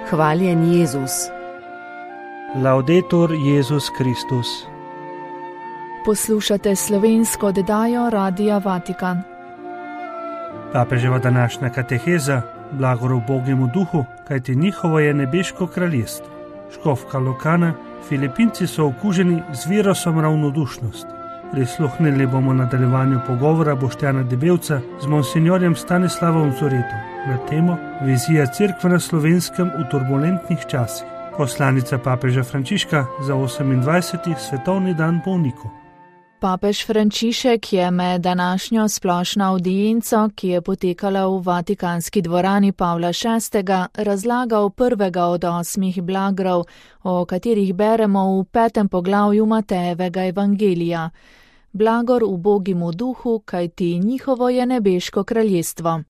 Hvaljen Jezus. Laudetur Jezus Kristus. Poslušate slovensko oddajo Radia Vatikan. Papeževa današnja kateheza, blagor ubogemu duhu, kajti njihovo je nebeško kraljestvo. Škofka Lokana, Filipinci so okuženi z virusom ravnodušnosti. Prisluhnili bomo nadaljevanju pogovora Boštjana Debevca z monsinjorjem Stanislavom Zoretom na temo Vizija Cerkve na Slovenskem v turbulentnih časih. Poslanica papeža Frančiška za 28. svetovni dan bolnikov. Papež Frančišek je med današnjo splošno avdienco, ki je potekala v Vatikanski dvorani Pavla VI., razlagal prvega od 8 blagrov, o katerih beremo v 5. poglavju Matejevega evangelija. Blagor ubogemu duhu, kajti njihovo je nebeško kraljestvo.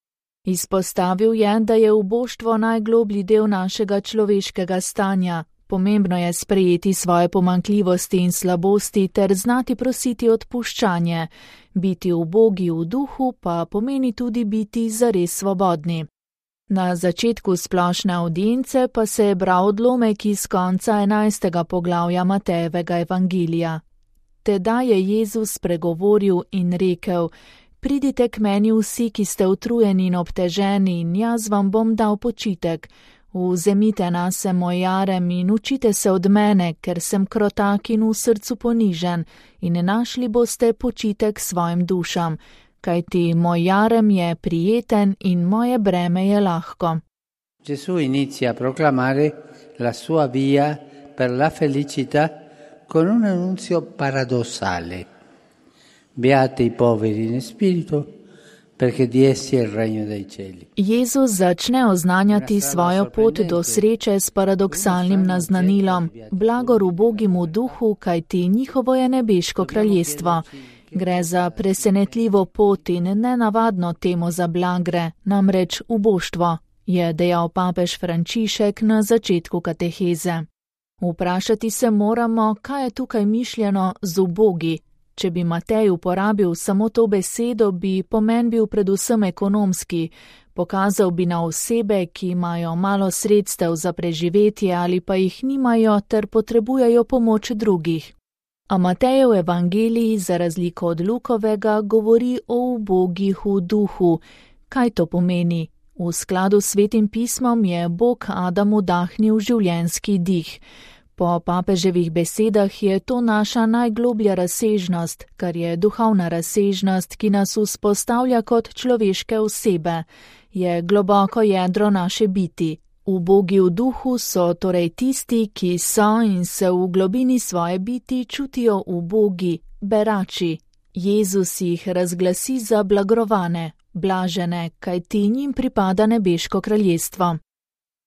Izpostavil je, da je uboštvo najgloblji del našega človeškega stanja. Pomembno je sprejeti svoje pomanjkljivosti in slabosti ter znati prositi odpuščanje. Biti ubogi v duhu pa pomeni tudi biti zares svobodni. Na začetku splošne avdience pa se je bral odlomek iz konca 11. poglavja Matejevega evangelija. Tedaj je Jezus spregovoril in rekel: Pridite k meni vsi, ki ste utrujeni in obteženi, in jaz vam bom dal počitek. Vzemite nase moj jarem in učite se od mene, ker sem krotak in v srcu ponižen, in našli boste počitek svojim dušam, kajti moj jarem je prijeten in moje breme je lahko. Gesù inizia a proclamare la sua via per la felicità con un annunzio paradossale. Beati i poveri in spirito, perché di essi è il regno dei cieli. Jezus začne oznanjati svojo pot do sreče s paradoksalnim naznanilom: blagor ubogemu duhu, kajti njihovo je nebeško kraljestvo. Gre za presenetljivo pot in nenavadno temo za blagre, namreč uboštvo, je dejal papež Frančišek na začetku kateheze. Vprašati se moramo, kaj je tukaj mišljeno z ubogi. Če bi Matej uporabil samo to besedo, bi pomen bil predvsem ekonomski. Pokazal bi na osebe, ki imajo malo sredstev za preživetje ali pa jih nimajo ter potrebujejo pomoč drugih. A Matejev evangelij, za razliko od Lukovega, govori o ubogih v duhu. Kaj to pomeni? V skladu s Svetim pismom je Bog Adamu dahnil življenjski dih. Po papeževih besedah je to naša najgloblja razsežnost, kar je duhovna razsežnost, ki nas vzpostavlja kot človeške osebe. Je globoko jedro naše biti. Ubogi v duhu so torej tisti, ki so in se v globini svoje biti čutijo ubogi, berači. Jezus jih razglasi za blagrovane, blažene, kajti njim pripada nebeško kraljestvo.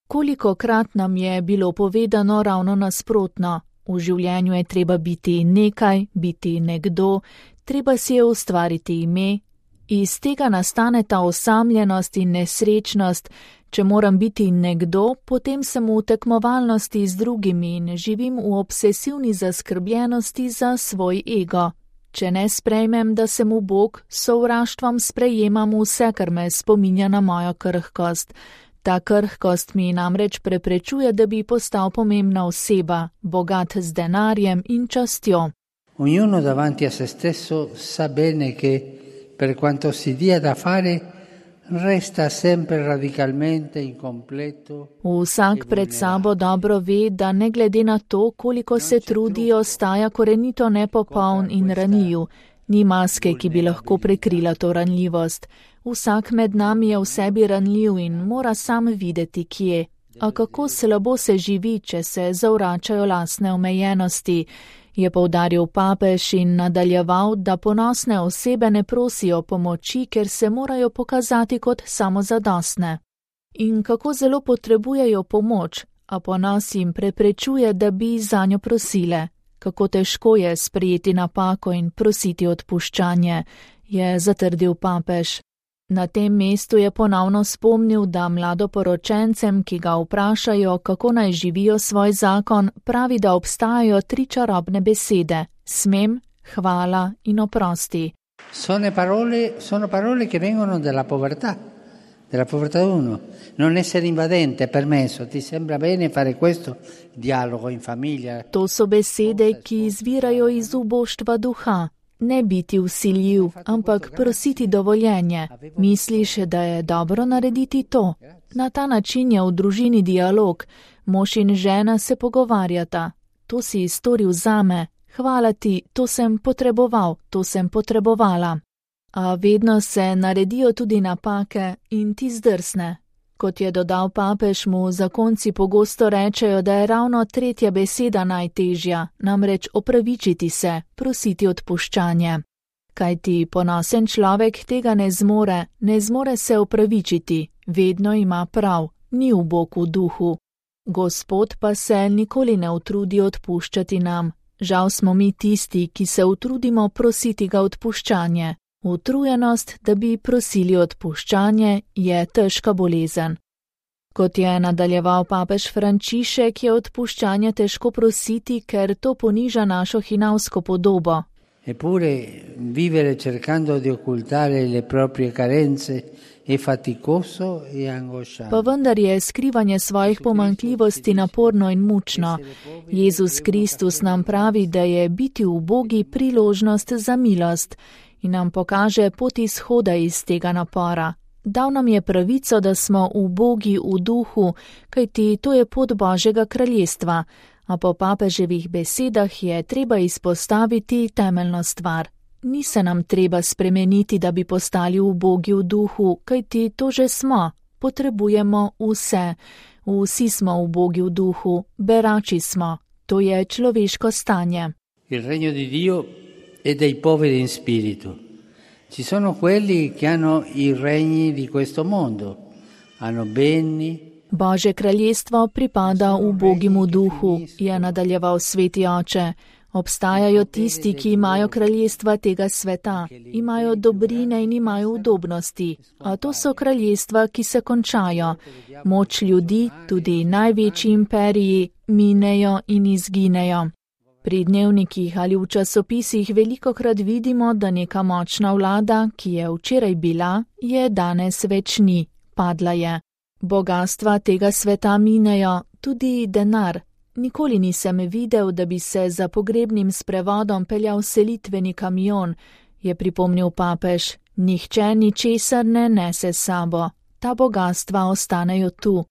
Kolikokrat nam je bilo povedano ravno nasprotno. V življenju je treba biti nekaj, biti nekdo, treba si je ustvariti ime. Iz tega nastane ta osamljenost in nesrečnost. Če moram biti nekdo, potem sem v tekmovalnosti z drugimi in živim v obsesivni zaskrbljenosti za svoj ego. Če ne sprejmem, da sem ubog, s sovraštvom sprejemam vse, kar me spominja na mojo krhkost. Ta krhkost mi namreč preprečuje, da bi postal pomembna oseba, bogat z denarjem in častjo. Ognuno davanti a se stesso sa bene che per quanto si dia da fare resta sempre radicalmente incompleto. Vsak pred sabo dobro ve, da ne glede na to, koliko se trudi, ostaja korenito nepopoln in ranljiv. Ni maske, ki bi lahko prekrila to ranljivost. Vsak med nami je v sebi ranljiv in mora sam videti, kje. A kako slabo se živi, če se zavračajo lastne omejenosti, je poudaril papež in nadaljeval, da ponosne osebe ne prosijo pomoči, ker se morajo pokazati kot samozadostne. In kako zelo potrebujejo pomoč, a ponos jim preprečuje, da bi zanjo prosile. Kako težko je sprejeti napako in prositi odpuščanje, je zatrdil papež. Na tem mestu je ponovno spomnil, da mladoporočencem, ki ga vprašajo, kako naj živijo svoj zakon, pravi, da obstajajo 3 čarobne besede: smem, hvala in oprosti. Sono parole che vengono dalla povertà, della povertà uno. Non essere invadente, è permesso. Ti sembra bene fare questo? Dialogo in famiglia. To so besede, ki izvirajo iz uboštva duha. Ne biti vsiljiv, ampak prositi dovoljenje. Misliš, da je dobro narediti to? Na ta način je v družini dialog. Mož in žena se pogovarjata. To si storil zame. Hvala ti, to sem potreboval, to sem potrebovala. A vedno se naredijo tudi napake in ti zdrsne. Kot je dodal papež, mu zakonci pogosto rečejo, da je ravno tretja beseda najtežja, namreč opravičiti se, prositi odpuščanje. Kajti ponosen človek tega ne zmore se opravičiti, vedno ima prav, ni ubog v duhu. Gospod pa se nikoli ne utrudi odpuščati nam. Žal smo mi tisti, ki se utrudimo prositi ga odpuščanje. Utrujenost, da bi prosili odpuščanje, je težka bolezen. Kot je nadaljeval papež Frančišek, je odpuščanje težko prositi, ker to poniža našo hinavsko podobo. Eppure vivere cercando di occultare le proprie carenze è faticoso e angosciante. Pa vendar je skrivanje svojih pomanjkljivosti naporno in mučno. Jezus Kristus nam pravi, da je biti ubogi priložnost za milost in nam pokaže pot izhoda iz tega napora. Dal nam je pravico, da smo ubogi v duhu, kajti to je pot Božjega kraljestva, a po papeževih besedah je treba izpostaviti temeljno stvar. Ni se nam treba spremeniti, da bi postali ubogi v duhu, kajti to že smo. Potrebujemo vse. Vsi smo ubogi v duhu, berači smo. To je človeško stanje. Il regno di Dio è dei poveri in spirito. Ci sono quelli che hanno i regni di questo mondo, hanno beni. Božje kraljestvo pripada ubogim v duhu, je nadaljeval sveti oče. Obstajajo tisti, ki imajo kraljestva tega sveta, imajo dobrine in imajo udobnosti, a to so kraljestva, ki se končajo. Moč ljudi, tudi največji imperiji, minejo in izginejo. Pri dnevnikih ali v časopisih velikokrat vidimo, da neka močna vlada, ki je včeraj bila, je danes več ni, padla je. Bogastva tega sveta minejo, tudi denar. Nikoli nisem videl, da bi se za pogrebnim sprevodom peljal selitveni kamion, je pripomnil papež. Nihče ničesar ne nese s sabo. Ta bogastva ostanejo tu.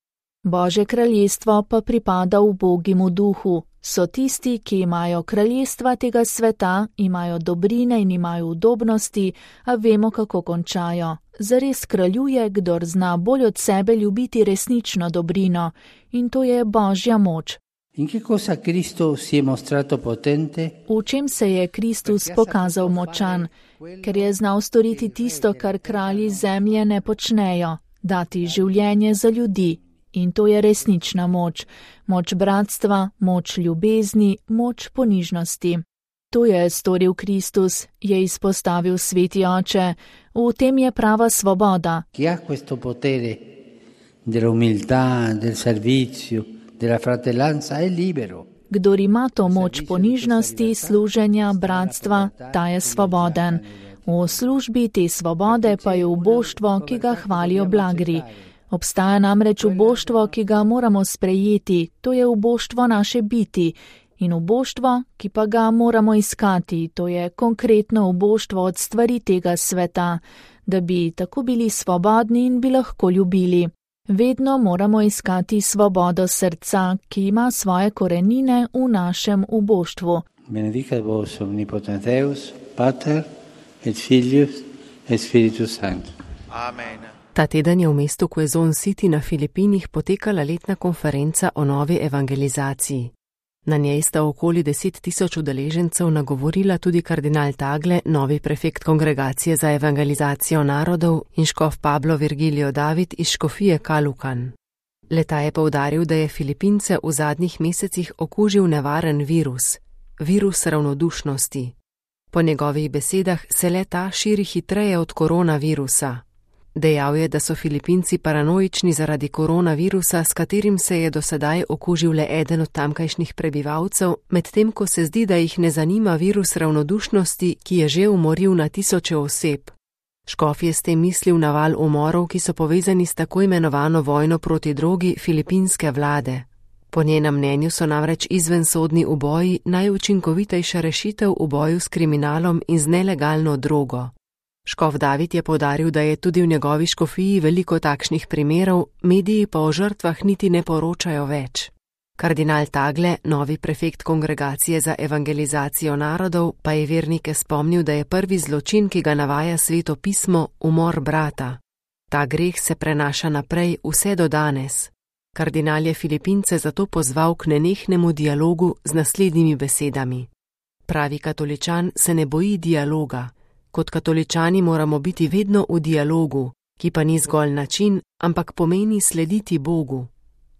Božje kraljestvo pa pripada ubogim v duhu. So tisti, ki imajo kraljestva tega sveta, imajo dobrine in imajo udobnosti, a vemo, kako končajo. Zares kraljuje, kdor zna bolj od sebe ljubiti resnično dobrino, in to je Božja moč. In che cosa Cristo si è mostrato potente? V čem se je Kristus pokazal močan? Ker je znal storiti tisto, kar kralji zemlje ne počnejo, dati življenje za ljudi. In to je resnična moč. Moč bratstva, moč ljubezni, moč ponižnosti. To je storil Kristus, je izpostavil sveti oče. V tem je prava svoboda. Chi ha questo potere dell'umiltà, del servizio, della fratellanza è libero. Kdor ima to moč ponižnosti, služenja, bratstva, ta je svoboden. V službi te svobode pa je uboštvo, ki ga hvalijo blagri. Obstaja namreč uboštvo, ki ga moramo sprejeti, to je uboštvo naše biti. In uboštvo, ki pa ga moramo iskati, to je konkretno uboštvo od stvari tega sveta, da bi tako bili svobodni in bi lahko ljubili. Vedno moramo iskati svobodo srca, ki ima svoje korenine v našem uboštvu. Benedicat vos omnipotenteus, Pater et Filius et Spiritus Sanctus. Amen. Ta teden je v mestu Quezon City na Filipinih potekala letna konferenca o novi evangelizaciji. Na njej sta okoli 10.000 udeležencev nagovorila tudi kardinal Tagle, novi prefekt Kongregacije za evangelizacijo narodov, in škof Pablo Virgilio David iz škofije Kalukan. Le-ta je poudaril, da je Filipince v zadnjih mesecih okužil nevaren virus, virus ravnodušnosti. Po njegovih besedah se le-ta širi hitreje od koronavirusa. Dejal je, da so Filipinci paranoični zaradi koronavirusa, s katerim se je do sedaj okužil le eden od tamkajšnjih prebivalcev, medtem ko se zdi, da jih ne zanima virus ravnodušnosti, ki je že umoril na tisoče oseb. Škof je s tem mislil na val umorov, ki so povezani s tako imenovano vojno proti drogi filipinske vlade. Po njenem mnenju so namreč izvensodni uboji najučinkovitejša rešitev v boju s kriminalom in z nelegalno drogo. Škof David je poudaril, da je tudi v njegovi škofiji veliko takšnih primerov, mediji pa o žrtvah niti ne poročajo več. Kardinal Tagle, novi prefekt Kongregacije za evangelizacijo narodov, pa je vernike spomnil, da je prvi zločin, ki ga navaja Sveto pismo, umor brata. Ta greh se prenaša naprej vse do danes. Kardinal je Filipince zato pozval k nenehnemu dialogu z naslednjimi besedami. Pravi katoličan se ne boji dialoga. Kot katoličani moramo biti vedno v dialogu, ki pa ni zgolj način, ampak pomeni slediti Bogu.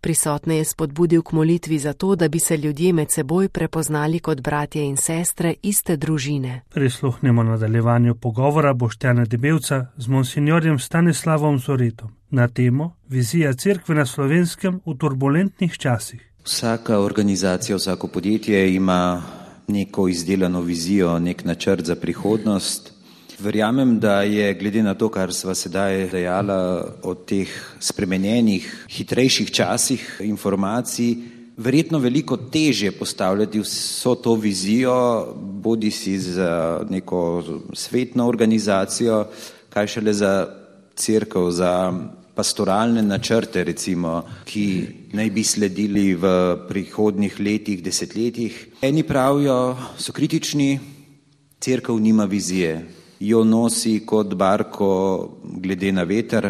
Prisotne je spodbudil k molitvi za to, da bi se ljudje med seboj prepoznali kot bratje in sestre iste družine. Prisluhnemo nadaljevanju pogovora Boštjana Debevca z monsinjorjem Stanislavom Zoretom na temo Vizija cerkve na Slovenskem v turbulentnih časih. Vsaka organizacija, vsako podjetje ima neko izdelano vizijo, nek načrt za prihodnost. Verjamem, da je glede na to, kar sva sedaj dejala o teh spremenjenih, hitrejših časih informacij, verjetno veliko težje postavljati vso to vizijo, bodisi za neko svetno organizacijo, kaj šele za cerkev, za pastoralne načrte, recimo, ki naj bi sledili v prihodnjih letih, desetletjih. Eni pravijo, so kritični, cerkev nima vizije, jo nosi kot barko glede na veter.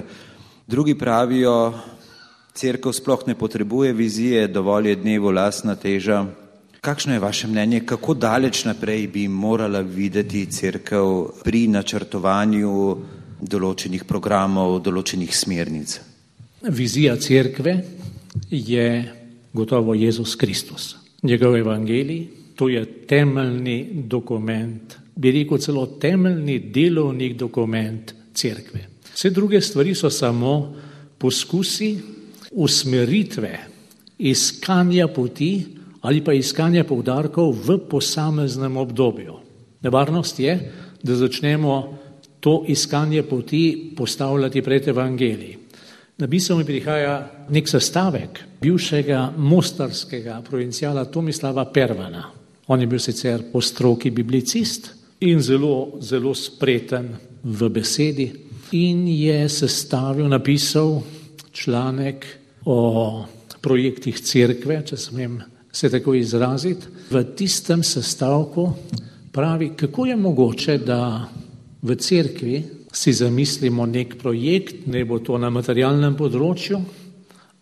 Drugi pravijo, cerkev sploh ne potrebuje vizije, dovolj je dnevu lastna teža. Kakšno je vaše mnenje, kako daleč naprej bi morala videti cerkev pri načrtovanju določenih programov, določenih smernic? Vizija cerkve je gotovo Jezus Kristus. Njegov evangelij, to je temeljni dokument, bi rekel celo temeljni delovni dokument cerkve. Vse druge stvari so samo poskusi usmeritve, iskanja poti ali pa iskanja poudarkov v posameznem obdobju. Nevarnost je, da začnemo to iskanje poti postavljati pred evangelij. Na misel mi prihaja nek sestavek bivšega mostarskega provincijala Tomislava Pervana. On je bil sicer po stroki biblicist in zelo spreten v besedi in je napisal članek o projektih cerkve, če smem se tako izraziti. V tistem sestavku pravi, kako je mogoče, da v cerkvi si zamislimo nek projekt, ne bo to na materialnem področju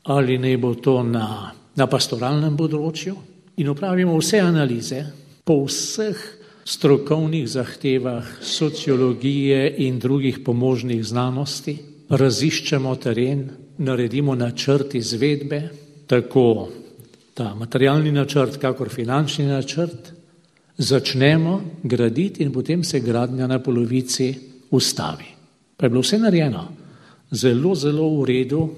ali ne bo to na pastoralnem področju, in opravimo vse analize po vseh strokovnih zahtevah sociologije in drugih pomožnih znanosti, raziščemo teren, naredimo načrt izvedbe, tako ta materialni načrt, kakor finančni načrt, začnemo graditi in potem se gradnja na polovici ustavi. Pa je bilo vse narejeno zelo v redu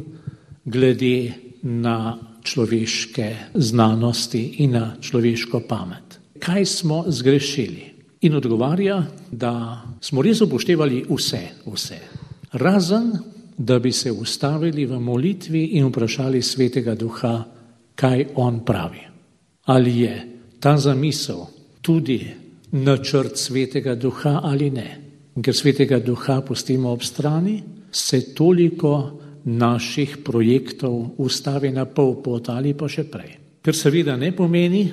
glede na človeške znanosti in na človeško pamet. Kaj smo zgrešili? In odgovarja, da smo res upoštevali vse. Razen, da bi se ustavili v molitvi in vprašali Svetega Duha, kaj on pravi. Ali je ta zamisel tudi načrt Svetega Duha ali ne? Ker Svetega Duha pustimo ob strani, se toliko naših projektov ustavi na pol pot ali pa še prej. Ker seveda ne pomeni,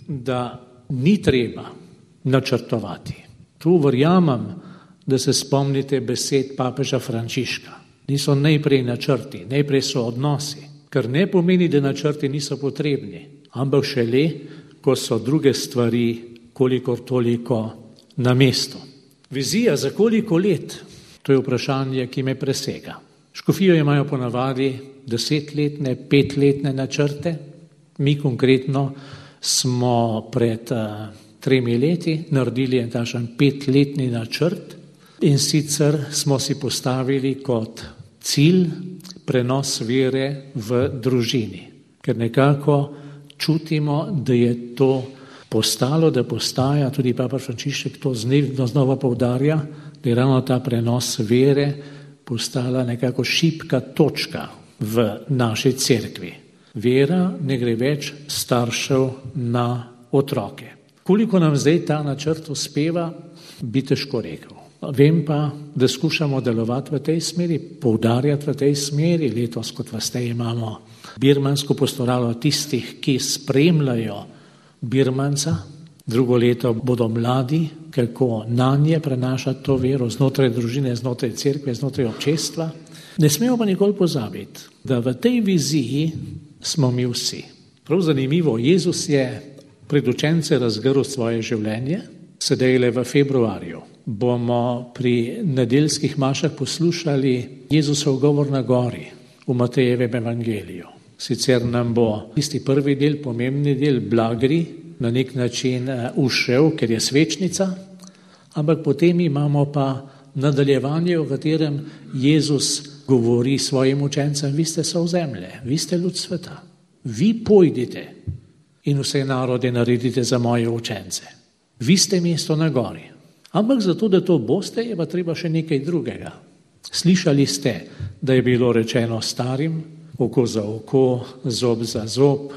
da ni treba načrtovati. Tu verjamem, da se spomnite besed papeža Frančiška. Niso najprej načrti, najprej so odnosi, kar ne pomeni, da načrti niso potrebni, ampak šele, ko so druge stvari kolikor toliko na mestu. Vizija za koliko let? To je vprašanje, ki me presega. Škofijo imajo ponavadi 10-letne, 5-letne načrte. Mi konkretno smo pred 3 leti naredili takšen 5-letni načrt in sicer smo si postavili kot cilj prenos vere v družini. Ker nekako čutimo, da je to postalo, da postaja, tudi papa Frančišek to znova poudarja, da je ravno ta prenos vere postala nekako šibka točka v naši cerkvi. Vera ne gre več staršev na otroke. Koliko nam zdaj ta načrt uspeva, bi težko rekel. Vem pa, da skušamo delovati v tej smeri, poudarjati v tej smeri. Letos, kot veste, imamo birmansko pastoralo tistih, ki spremljajo Birmanca. Drugo leto bodo mladi, kako nanje prenašati to vero znotraj družine, znotraj cerkve, znotraj občestva. Ne smemo pa nikoli pozabiti, da v tej viziji smo mi vsi. Prav zanimivo, Jezus je pred učence razgrl svoje življenje, sedaj le v februarju. Bomo pri nedeljskih mašah poslušali Jezusov govor na gori v Matejevem evangeliju. Sicer nam bo tisti prvi del, pomembni del, blagri, na nek način ušel, ker je svečnica, ampak potem imamo pa nadaljevanje, v katerem Jezus govori svojim učencem: vi ste sol zemlje, vi ste ljud sveta, vi pojdite in vse narode naredite za moje učence. Vi ste mesto na gori. Ampak zato, da to boste, je pa treba še nekaj drugega. Slišali ste, da je bilo rečeno starim, oko za oko, zob za zob.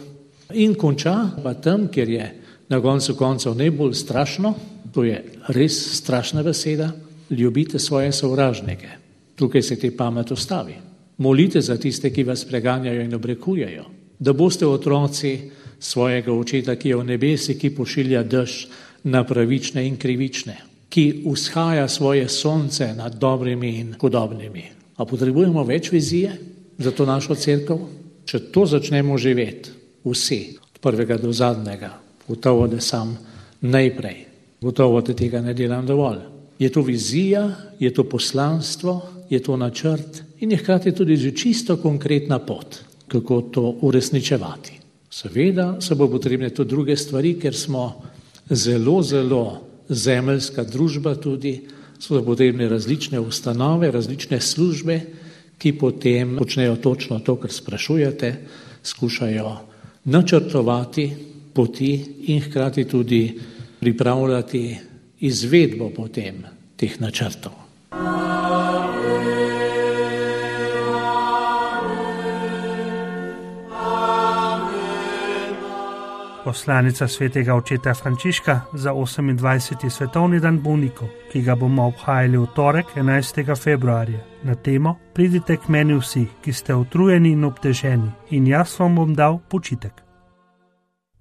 In konča pa tam, kjer je na koncu koncev najbolj strašno, to je res strašna beseda, ljubite svoje sovražnike. Tukaj se ti pamet ustavi. Molite za tiste, ki vas preganjajo in obrekujejo, da boste otroci svojega očeta, ki je v nebesi, ki pošilja dež na pravične in krivične, ki vzhaja svoje sonce nad dobrimi in hudobnimi. A potrebujemo več vizije za to našo cerkev? Če to začnemo živeti vsi, od prvega do zadnjega, gotovo, da sam najprej, gotovo, da tega ne delam dovolj. Je to vizija, je to poslanstvo, je to načrt in je hkrati tudi že čisto konkretna pot, kako to uresničevati. Seveda se bo potrebne tudi druge stvari, ker smo zelo, zelo zemeljska družba tudi, so potrebne različne ustanove, različne službe, ki potem počnejo točno to, kar sprašujete, skušajo načrtovati poti in hkrati tudi pripravljati izvedbo potem teh načrtov. Poslanica svetega očeta Frančiška za 28. svetovni dan bolnikov, ki ga bomo obhajali v torek 11. februarja, na temo Pridite k meni vsi, ki ste utrujeni in obteženi, in jaz vam bom dal počitek.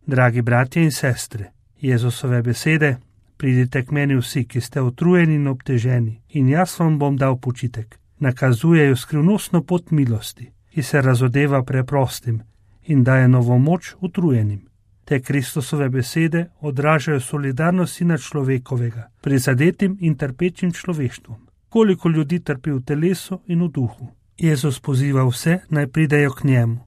Dragi bratje in sestre, Jezusove besede: Pridite k meni vsi, ki ste utrujeni in obteženi, in jaz vam bom dal počitek, nakazujejo skrivnostno pot milosti, ki se razodeva preprostim in daje novo moč utrujenim. Te Kristusove besede odražajo solidarnost sina človekovega, prizadetim in trpečim človeštvom. Koliko ljudi trpi v telesu in v duhu. Jezus poziva vse, naj pridejo k njemu.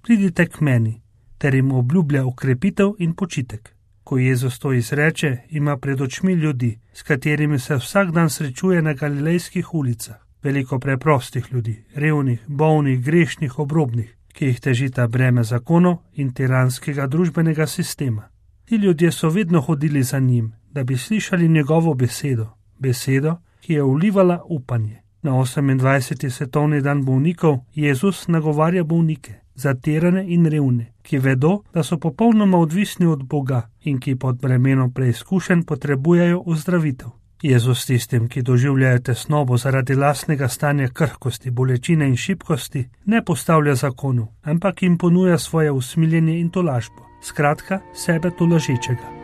Pridite k meni, ter jim obljublja ukrepitev in počitek. Ko Jezus to izreče, ima pred očmi ljudi, s katerimi se vsak dan srečuje na galilejskih ulicah. Veliko preprostih ljudi, revnih, bolnih, grešnih, obrobnih, ki jih težita breme zakonov in tiranskega družbenega sistema. Ti ljudje so vedno hodili za njim, da bi slišali njegovo besedo, besedo, ki je vlivala upanje. Na 28. svetovni dan bolnikov Jezus nagovarja bolnike, zatirane in revne, ki vedo, da so popolnoma odvisni od Boga in ki pod bremenom preizkušenj potrebujejo ozdravitev. Jezus tistim, ki doživljajo tesnobo zaradi lastnega stanja krhkosti, bolečine in šibkosti, ne postavlja zakonov, ampak jim ponuja svoje usmiljenje in tolažbo, skratka sebe tolažečega.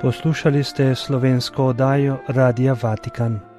Poslušali ste slovensko oddajo Radia Vatikan.